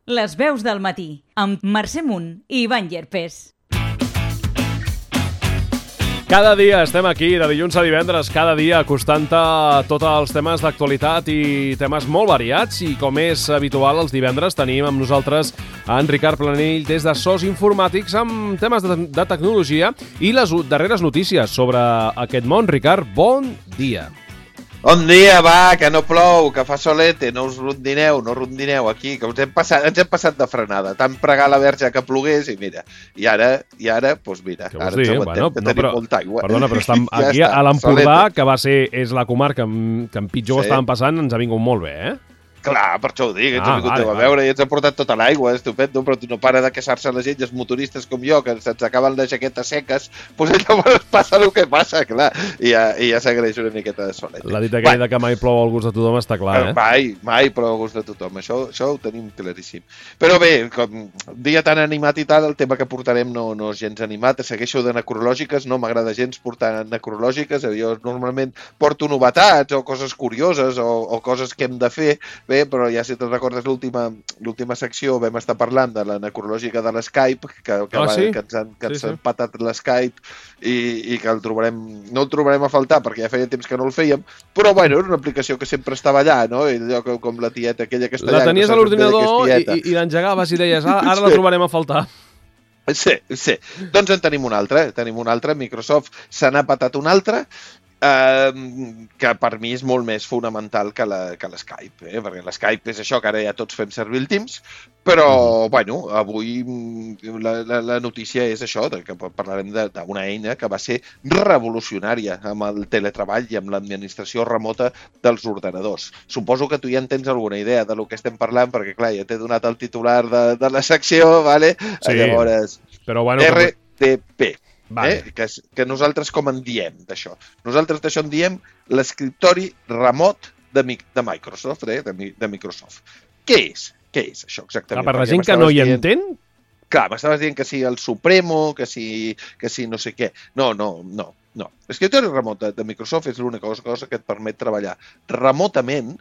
Les veus del matí, amb Mercè Munt i Ivan Llerpés. Cada dia estem aquí, de dilluns a divendres, cada dia acostant-te tots els temes d'actualitat i temes molt variats. I com és habitual, els divendres tenim amb nosaltres en Ricard Planell des de SOS Informàtics amb temes de tecnologia i les darreres notícies sobre aquest món. Ricard, bon dia. Bon dia, va, que no plou, que fa solete, no us rondineu aquí, que ens hem passat de frenada, tant pregar la verge que plogués i mira, i ara, doncs mira, Què ara vols dir? ens aguantem, que tenim molta aigua. Perdona, però estem aquí Ja a l'Empordà, solete. és la comarca que en pitjor Sí. estaven passant, ens ha vingut molt bé, eh? Clar, per això ho dic, ens ha vingut vale, a veure i ens ha portat tota l'aigua, estupendo, però no para de queixar-se la gent, els motoristes com jo, que se'ns acaben les jaquetes seques, doncs llavors passa el que passa, clar, i ja s'agraeix una miqueta de solet. La dita aquella que mai plou al gust de tothom està clar, eh? Mai plou al gust de tothom, això ho tenim claríssim. Però bé, com dia tan animat i tal, el tema que portarem no és gens animat, segueixo de necrològiques, no m'agrada gens portar necrològiques, jo normalment porto novetats o coses curioses o coses que hem de fer, bé, però ja si te'n recordes l'última secció vam estar parlant de la necrològica de l'Skype, que ens han patat l'Skype i que no el trobarem a faltar perquè ja feia temps que no el fèiem, però bueno, era una aplicació que sempre estava allà, no? I allò com la tieta aquella que està allà. La tenies a l'ordinador i l'engegaves i deies, ara la trobarem a faltar. Sí. Doncs en tenim una altra, Microsoft se n'ha patat una altra, que per mi és molt més fonamental que l'Skype, perquè l'Skype és això, que ara ja tots fem servir el Teams, però, bueno, avui la notícia és això, que parlarem d'una eina que va ser revolucionària amb el teletreball i amb l'administració remota dels ordenadors. Suposo que tu ja en tens alguna idea de lo que estem parlant, perquè, clar, ja t'he donat el titular de la secció, ¿vale? Sí, llavors, però bueno... RDP. Vale. Que nosaltres com en diem d'això? Nosaltres d'això en diem l'escriptori remot de Microsoft, de Microsoft. Què és això exactament? Per la gent que no hi entén? Clar, m'estaves dient que si el Supremo, que si no sé què. No. L'escriptori remot de Microsoft és l'única cosa que et permet treballar remotament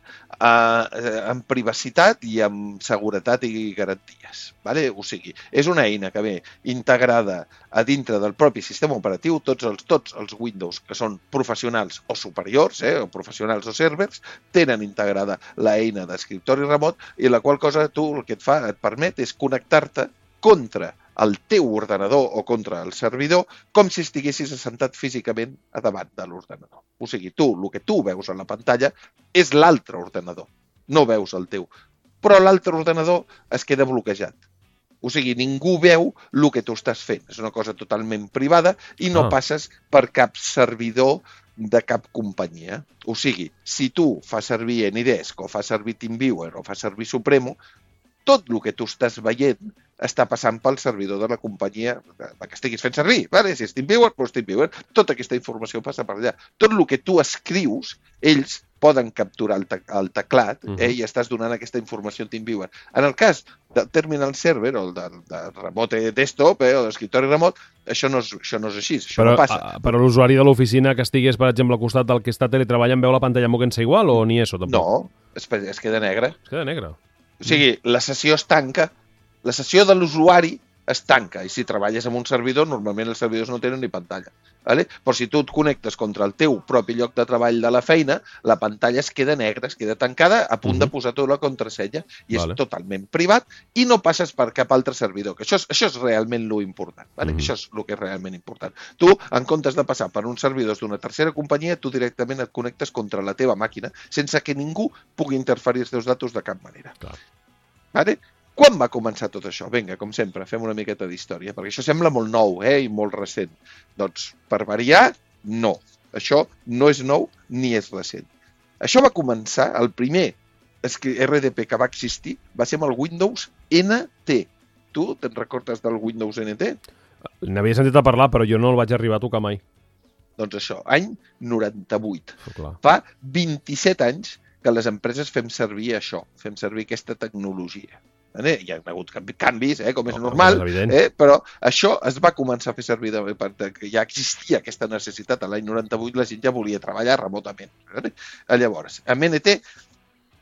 amb privacitat i amb seguretat i garanties. Vale? O sigui, és una eina que ve integrada a dintre del propi sistema operatiu, tots els Windows que són professionals o superiors, o professionals o servers, tenen integrada l'eina d'escriptori remot i la qual cosa tu el que et permet és connectar-te contra el teu ordenador o contra el servidor com si estiguessis assentat físicament a davant de l'ordenador. O sigui, el que tu veus a la pantalla és l'altre ordenador, no veus el teu. Però l'altre ordenador es queda bloquejat. O sigui, ningú veu el que tu estàs fent. És una cosa totalment privada i no passes per cap servidor de cap companyia. O sigui, si tu fas servir AnyDesk o fas servir TeamViewer o fas servir Supremo, tot el que tu estàs veient està passant pel servidor de la companyia que estiguis fent servir. Vale? Si és TeamViewer, doncs TeamViewer. Tota aquesta informació passa per allà. Tot el que tu escrius, ells poden capturar el teclat i estàs donant aquesta informació a TeamViewer. En el cas del Terminal Server o del remote desktop o d'escriptori remot, això no és així, això no passa. Però l'usuari de l'oficina que estigués, per exemple, al costat del que està teletreballant veu la pantalla moguent-se igual o ni això tampoc? No, es queda negra. Es queda negra. O sigui, la sessió es tanca, la sessió de l'usuari es tanca, i si treballes amb un servidor, normalment els servidors no tenen ni pantalla. Vale? Però si tu et connectes contra el teu propi lloc de treball de la feina, la pantalla es queda negra, es queda tancada, a punt de posar tu la contrasenya, i és totalment privat, i no passes per cap altre servidor, que això és realment lo important. Vale? Això és el que és realment important. Tu, en comptes de passar per uns servidors d'una tercera companyia, tu directament et connectes contra la teva màquina, sense que ningú pugui interferir els teus datos de cap manera. Vale? Quan va començar tot això? Vinga, com sempre, fem una miqueta d'història, perquè això sembla molt nou i molt recent. Doncs, per variar, no. Això no és nou ni és recent. Això va començar, el primer RDP que va existir va ser amb el Windows NT. Tu te'n recordes del Windows NT? N'havia sentit a parlar, però jo no el vaig arribar a tocar mai. Doncs això, any 98. Clar. Fa 27 anys que les empreses fem servir això, fem servir aquesta tecnologia. Hi ha hagut canvis, com és normal, però això es va començar a fer servir perquè ja existia aquesta necessitat. A l'any 98 la gent ja volia treballar remotament. Llavors, amb NT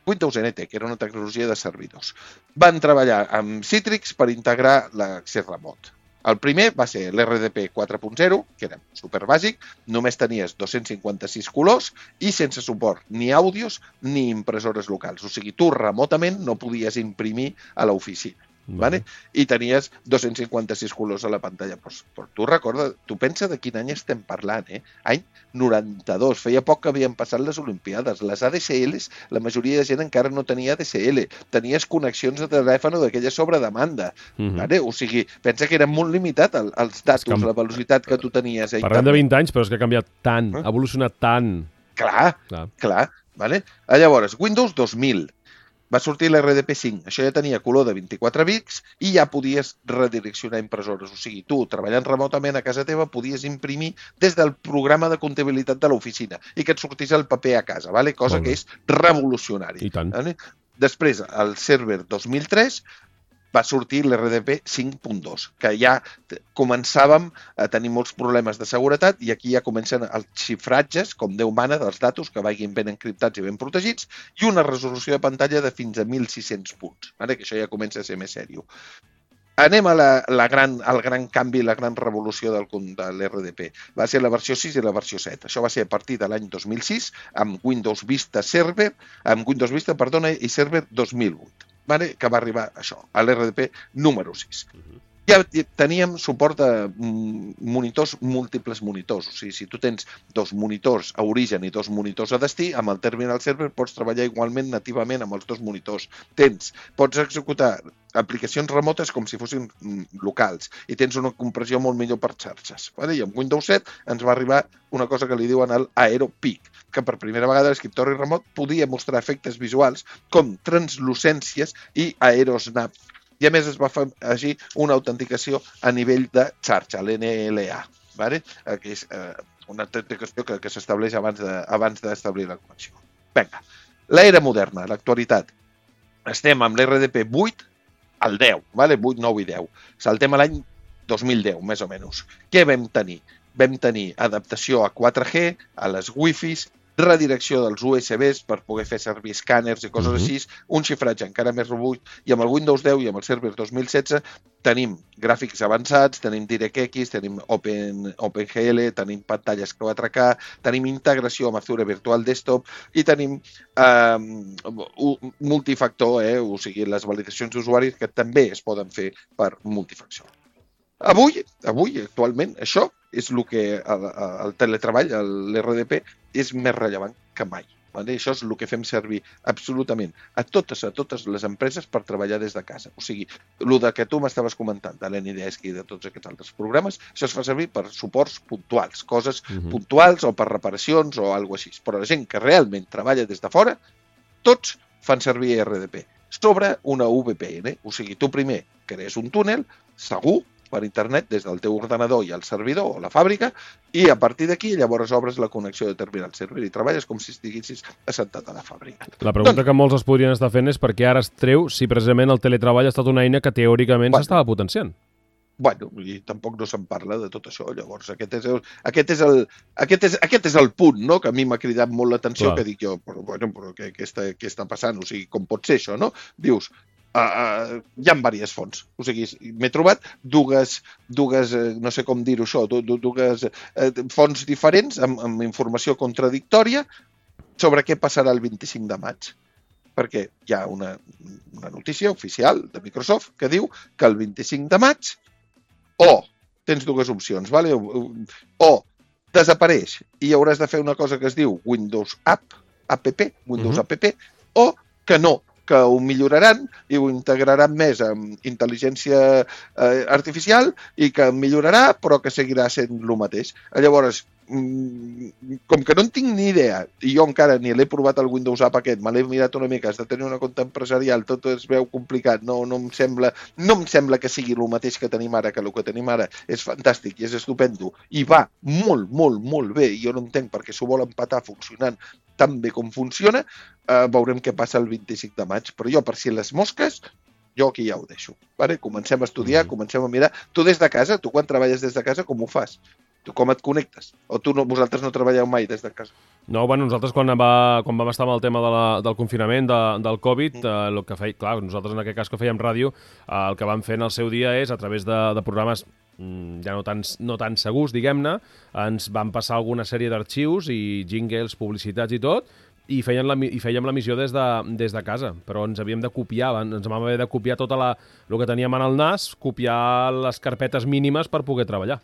Windows NT, que era una tecnologia de servidors. Van treballar amb Citrix per integrar l'accés remot. El primer va ser l'RDP 4.0, que era superbàsic, només tenies 256 colors i sense suport ni àudios ni impressores locals. O sigui, tu remotament no podies imprimir a l'oficina. Vale? I tenies 256 colors a la pantalla. Però tu recorda, tu pensa de quin any estem parlant, Any 92. Feia poc que havien passat les Olimpiades. Les ADSLs, la majoria de gent encara no tenia ADSL. Tenies connexions de telèfon d'aquella sobre demanda. Vale? O sigui, pensa que era molt limitat els datos, la velocitat que tu tenies. Parlem de 20 anys, però és que ha canviat tant, ha evolucionat tant. Clar. Vale? Llavors, Windows 2000. Va sortir l'RDP 5. Això ja tenia color de 24 bits i ja podies redireccionar impressores. O sigui, tu, treballant remotament a casa teva, podies imprimir des del programa de comptabilitat de l'oficina i que et sortís el paper a casa, vale? Cosa que és revolucionari. I tant. Vale? Després, al server 2003, va sortir l'RDP 5.2, que ja començàvem a tenir molts problemes de seguretat i aquí ja comencen els xifratges, com Déu mana, dels datos que vagin ben encriptats i ben protegits i una resolució de pantalla de fins a 1.600 punts, que això ja comença a ser més sèrio. Anem al gran canvi, la gran revolució de l'RDP. Va ser la versió 6 i la versió 7. Això va ser a partir de l'any 2006 amb Windows Vista i Server 2008. Que va arribar això, a l'RDP número 6. Ja teníem suport a monitors, múltiples monitors. O sigui, si tu tens 2 monitors a origen i 2 monitors a destí, amb el Terminal Server pots treballar igualment nativament amb els 2 monitors. Pots executar aplicacions remotes com si fossin locals i tens una compressió molt millor per xarxes. I amb Windows 7 ens va arribar una cosa que li diuen el AeroPeak, que per primera vegada l'escriptori remot podia mostrar efectes visuals com translucències i aerosnap. I a més es va afegir una autenticació a nivell de xarxa, l'NLA, que és una autenticació que s'estableix abans d'establir la connexió. Vinga, l'era moderna, l'actualitat. Estem amb l'RDP 8 al 10, 8, 9 i 10. Saltem a l'any 2010, més o menys. Què vam tenir? Vam tenir adaptació a 4G, a les Wi-Fis, redirecció dels USBs per poder fer servir escàners i coses així, un xifratge encara més robust, i amb el Windows 10 i amb el Server 2016 tenim gràfics avançats, tenim DirectX, tenim OpenGL, tenim pantalles 4K, tenim integració amb Azure Virtual Desktop i tenim multifactor, o sigui, les validacions d'usuaris que també es poden fer per multifactor. Avui, actualment, això és el que el teletreball, l'RDP, és més rellevant que mai. Això és el que fem servir absolutament a totes les empreses per treballar des de casa. O sigui, el que tu m'estaves comentant de l'NDESC i de tots aquests altres programes, això es fa servir per suports puntuals, coses puntuals o per reparacions o alguna cosa així. Però la gent que realment treballa des de fora, tots fan servir RDP sobre una VPN. O sigui, tu primer crees un túnel segur per internet des del teu ordenador i el servidor o la fàbrica i a partir d'aquí llavors obres la connexió de Terminal Server i treballes com si estiguessis assentat a la fàbrica. La pregunta que molts es podrien estar fent és per què ara es treu si precisament el teletreball ha estat una eina que teòricament s'estava potenciant. I tampoc no se'n parla de tot això. Llavors, aquest és el punt, no?, que a mi m'ha cridat molt l'atenció, que dic jo, però què està passant? O sigui, com pot ser això, no? Dius, hi ha diverses fonts. O sigui, m'he trobat dues no sé com dir-ho això, dues fonts diferents amb informació contradictòria sobre què passarà el 25 de maig. Perquè hi ha una notícia oficial de Microsoft que diu que el 25 de maig tens dues opcions, o desapareix i hauràs de fer una cosa que es diu Windows App, o que no, que ho milloraran i ho integraran més amb intel·ligència artificial i que millorarà però que seguirà sent el mateix. Llavors, com que no en tinc ni idea i jo encara ni l'he provat el Windows App aquest, me l'he mirat una mica, has de tenir una compte empresarial, tot es veu complicat, no em sembla que sigui el mateix que tenim ara, que el que tenim ara és fantàstic i és estupendo i va molt, molt, molt bé i jo no entenc perquè s'ho vol empatar funcionant tan bé com funciona, veurem què passa el 25 de maig, però jo per si les mosques jo aquí ja ho deixo. Comencem a estudiar, comencem a mirar. Tu des de casa, tu quan treballes des de casa, com ho fas? Tu com et connectes? O vosaltres no treballeu mai des de casa? No, bueno, nosaltres quan vam estar amb el tema del confinament, del Covid, el que feia, clar, nosaltres en aquest cas que fèiem ràdio, el que vam fer en el seu dia és, a través de programes ja no tan segurs, diguem-ne, ens van passar alguna sèrie d'arxius i jingles, publicitats i tot, i fèiem l'emissió des de casa, però ens havíem de copiar, ens vam haver de copiar tot el que teníem en el nas, copiar les carpetes mínimes per poder treballar.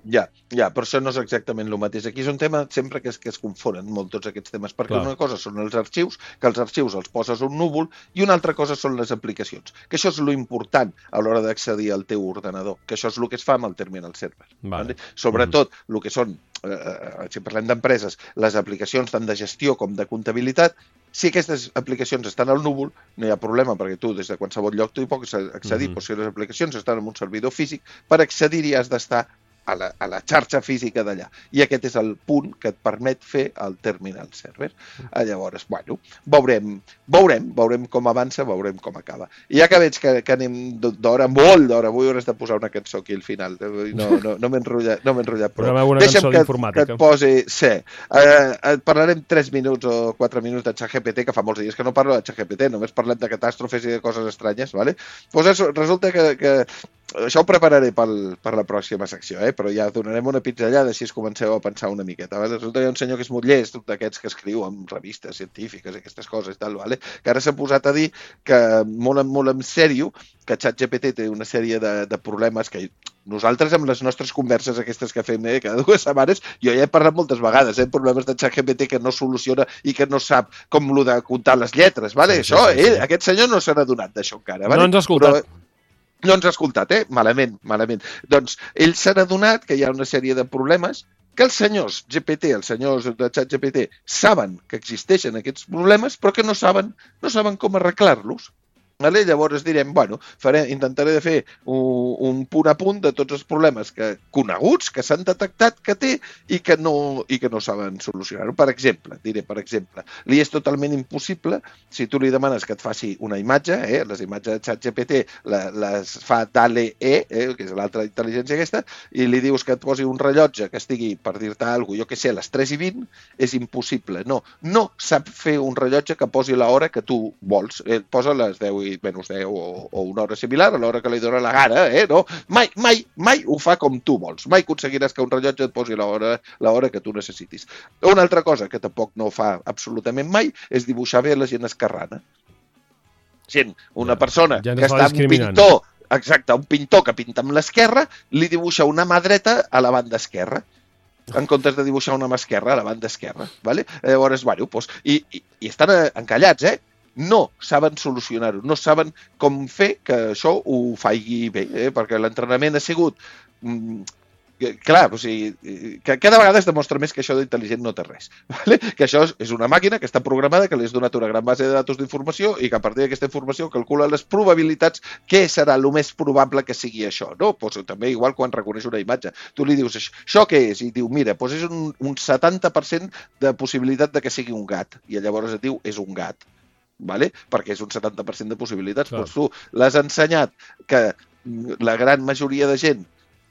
Ja, però això no és exactament el mateix. Aquí és un tema sempre que es confonen molt tots aquests temes, perquè una cosa són els arxius, que els arxius els poses a un núvol, i una altra cosa són les aplicacions, que això és lo important a l'hora d'accedir al teu ordenador, que això és el que es fa amb el terminal server. Vale? Sobretot, el que són, si parlem d'empreses, les aplicacions tant de gestió com de comptabilitat, si aquestes aplicacions estan al núvol, no hi ha problema, perquè tu des de qualsevol lloc tu hi pots accedir, però si les aplicacions estan en un servidor físic, per accedir-hi has d'estar a la xarxa física d'allà. I aquest és el punt que et permet fer el terminal server. Llavors, bueno, veurem com avança, veurem com acaba. I ja que veig que anem d'hora, molt d'hora, avui hauràs de posar una cançó aquí al final. No m'he enrotllat prou. Deixa'm que et posi... Sí. Parlarem 3 minuts o 4 minuts de ChatGPT, que fa molts dies que no parlo de ChatGPT, només parlem de catàstrofes i de coses estranyes, ¿vale? Pues resulta que això ho prepararé per la pròxima secció, però ja donarem una pinzellada si es comenceu a pensar una miqueta. Vale? Resulta que hi ha un senyor que és molt llest, d'aquests que escriu en revistes científiques i aquestes coses i tal, vale? Que ara s'ha posat a dir que molt en sèrio que ChatGPT té una sèrie de problemes que nosaltres amb les nostres converses aquestes que fem cada 2 setmanes, jo ja he parlat moltes vegades, problemes de ChatGPT que no soluciona i que no sap com lo de comptar les lletres, vale? Sí, això, aquest senyor no se n'ha donat d'això encara. Vale? No ens ha escoltat. No ens ha escoltat, malament. Doncs ell s'ha adonat que hi ha una sèrie de problemes que els senyors GPT, els senyors de ChatGPT, saben que existeixen aquests problemes, però que no saben com arreglar-los. Vale? Llavors direm, bueno, intentaré de fer un punt a punt de tots els problemes coneguts, que s'han detectat que té i que no saben solucionar-ho. Per exemple, li és totalment impossible, si tu li demanes que et faci una imatge, les imatges de ChatGPT les fa DALL-E, que és l'altra intel·ligència aquesta, i li dius que et posi un rellotge que estigui, per dir-te alguna cosa, jo què sé, a les 3:20, és impossible. No sap fer un rellotge que posi l'hora que tu vols. Posa les 10 i menys 10 o una hora similar a l'hora que li dóna la gana, no? Mai ho fa com tu vols. Mai aconseguiràs que un rellotge et posi l'hora que tu necessitis. Una altra cosa que tampoc no fa absolutament mai és dibuixar bé la gent esquerrana. Una persona que està amb un pintor, exacte, un pintor que pinta amb l'esquerra, li dibuixa una mà dreta a la banda esquerra, en comptes de dibuixar una mà esquerra a la banda esquerra. Vale? Llavors, bueno, i estan encallats, no saben solucionar-ho, no saben com fer que això ho faci bé, perquè l'entrenament ha sigut... Clar, o sigui, que cada vegada es demostra més que això d'intel·ligent no té res. Vale? Que això és una màquina que està programada, que li has donat una gran base de datos d'informació i que a partir d'aquesta informació calcula les probabilitats què serà el més probable que sigui això. No? Pues, també igual quan reconeix una imatge. Tu li dius, això què és? I diu, mira, pues és un 70% de possibilitat de que sigui un gat. I llavors et diu, és un gat. Vale? Perquè és un 70% de possibilitats. Doncs tu l'has ensenyat que la gran majoria de gent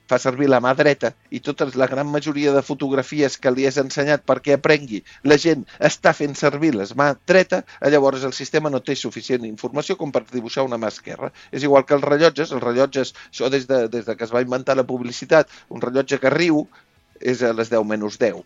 fa servir la mà dreta i la gran majoria de fotografies que li has ensenyat perquè aprengui, la gent està fent servir la mà dreta, llavors el sistema no té suficient informació com per dibuixar una mà esquerra. És igual que els rellotges, això des de que es va inventar la publicitat, un rellotge que riu és a les 10 menys 10.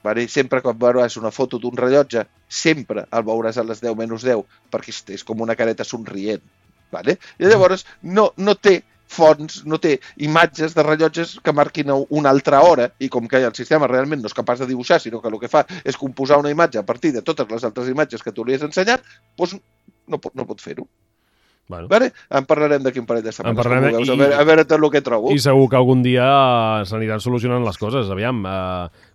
Vale? Sempre quan veuràs una foto d'un rellotge, sempre el veuràs a les 10 menys 10, perquè és com una careta somrient. Vale? I llavors no té fonts, no té imatges de rellotges que marquin una altra hora, i com que el sistema realment no és capaç de dibuixar, sinó que el que fa és composar una imatge a partir de totes les altres imatges que tu li has ensenyat, doncs no pot fer-ho. Bueno. Vale? En parlarem d'aquí un parell de setmanes. A veure tot el que trobo. I segur que algun dia s'aniran solucionant les coses. Aviam,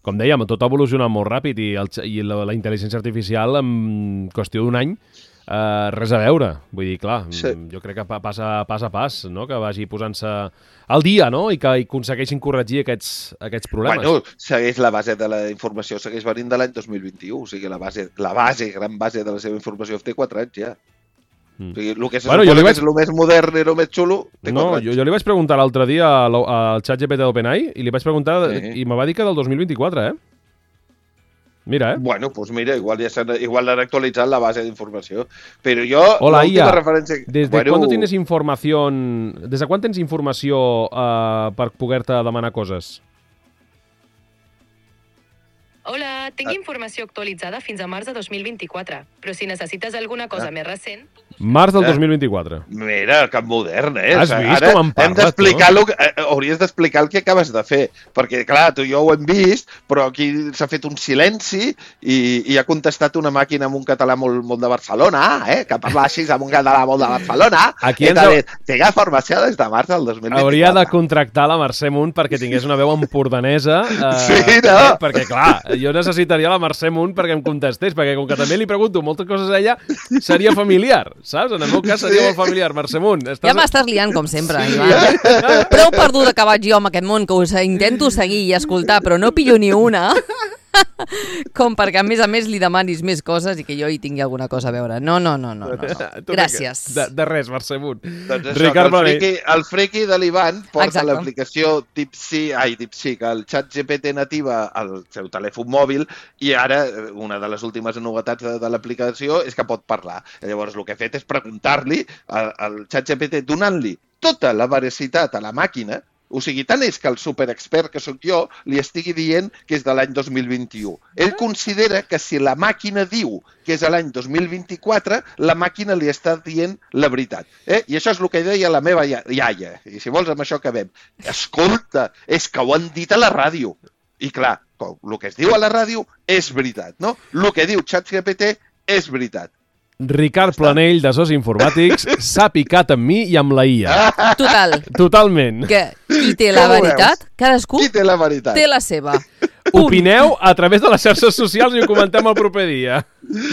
com dèiem, tot ha evolucionat molt ràpid i la intel·ligència artificial en qüestió d'un any res a veure. Vull dir, clar, jo crec que pas a pas, no? Que vagi posant-se al dia, no? I que aconsegueixin corregir aquests problemes. Bueno, segueix la base de la informació, segueix venint de l'any 2021, o sigui, gran base de la seva informació té 4 anys ja. O sigui, el que se Bueno, suposa que és el més modern i el més xulo... No, jo li vaig preguntar l'altre dia al ChatGPT d'OpenAI i li vaig preguntar i me va dir que del 2024, Mira, Bueno, doncs mira, igual l'han actualitzat la base d'informació. Però jo... Hola, IA. Referència... ¿Desde cuándo tienes información... Desde quan tens informació per poder-te demanar coses? Hola, tinc informació actualitzada fins a març de 2024, però si necessites alguna cosa més recent... Març del 2024. Mira, que modern, Has vist ara com em parles, hem d'explicar hauries d'explicar el que acabes de fer, perquè, clar, tu i jo ho hem vist, però aquí s'ha fet un silenci i ha contestat una màquina amb un català molt de Barcelona, que parla així amb un català molt de Barcelona. Aquí tinc formació des de març del 2024. Hauria de contractar la Mercè Munt perquè tingués una veu empordanesa. Sí, no? Perquè, clar, jo necessitaria la Mercè Munt perquè em contestés, perquè com que també li pregunto moltes coses a ella, seria familiar, saps? En el meu cas seria molt familiar. Mercè Munt. Ja m'estàs liant, com sempre, Ivan. Prou perduda que vaig jo amb aquest món, que us intento seguir i escoltar, però no pillo ni una. Com perquè, a més, li demanis més coses i que jo hi tingui alguna cosa a veure. No. Gràcies. De res, Mercè Munt. Doncs això, el friki de l'Ivan porta l'aplicació DeepSeek, el ChatGPT nativa al seu telèfon mòbil i ara una de les últimes novetats de l'aplicació és que pot parlar. Llavors el que he fet és preguntar-li al ChatGPT donant-li tota la veracitat a la màquina. O sigui, tant és que el superexpert que sóc jo li estigui dient que és de l'any 2021. Ell considera que si la màquina diu que és l'any 2024, la màquina li està dient la veritat. I això és el que deia la meva iaia. I si vols, amb això acabem. Escolta, és que ho han dit a la ràdio. I clar, el que es diu a la ràdio és veritat, no? El que diu ChatGPT és veritat. Ricard Planell, de Sos Informàtics, s'ha picat amb mi i amb la IA. Totalment. Que qui té la veritat? Cadascú té la seva. Opineu a través de les xarxes socials i ho comentem el proper dia.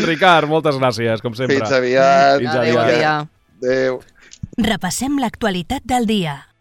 Ricard, moltes gràcies, com sempre. Fins aviat. Adéu. Adéu. Repassem l'actualitat del dia.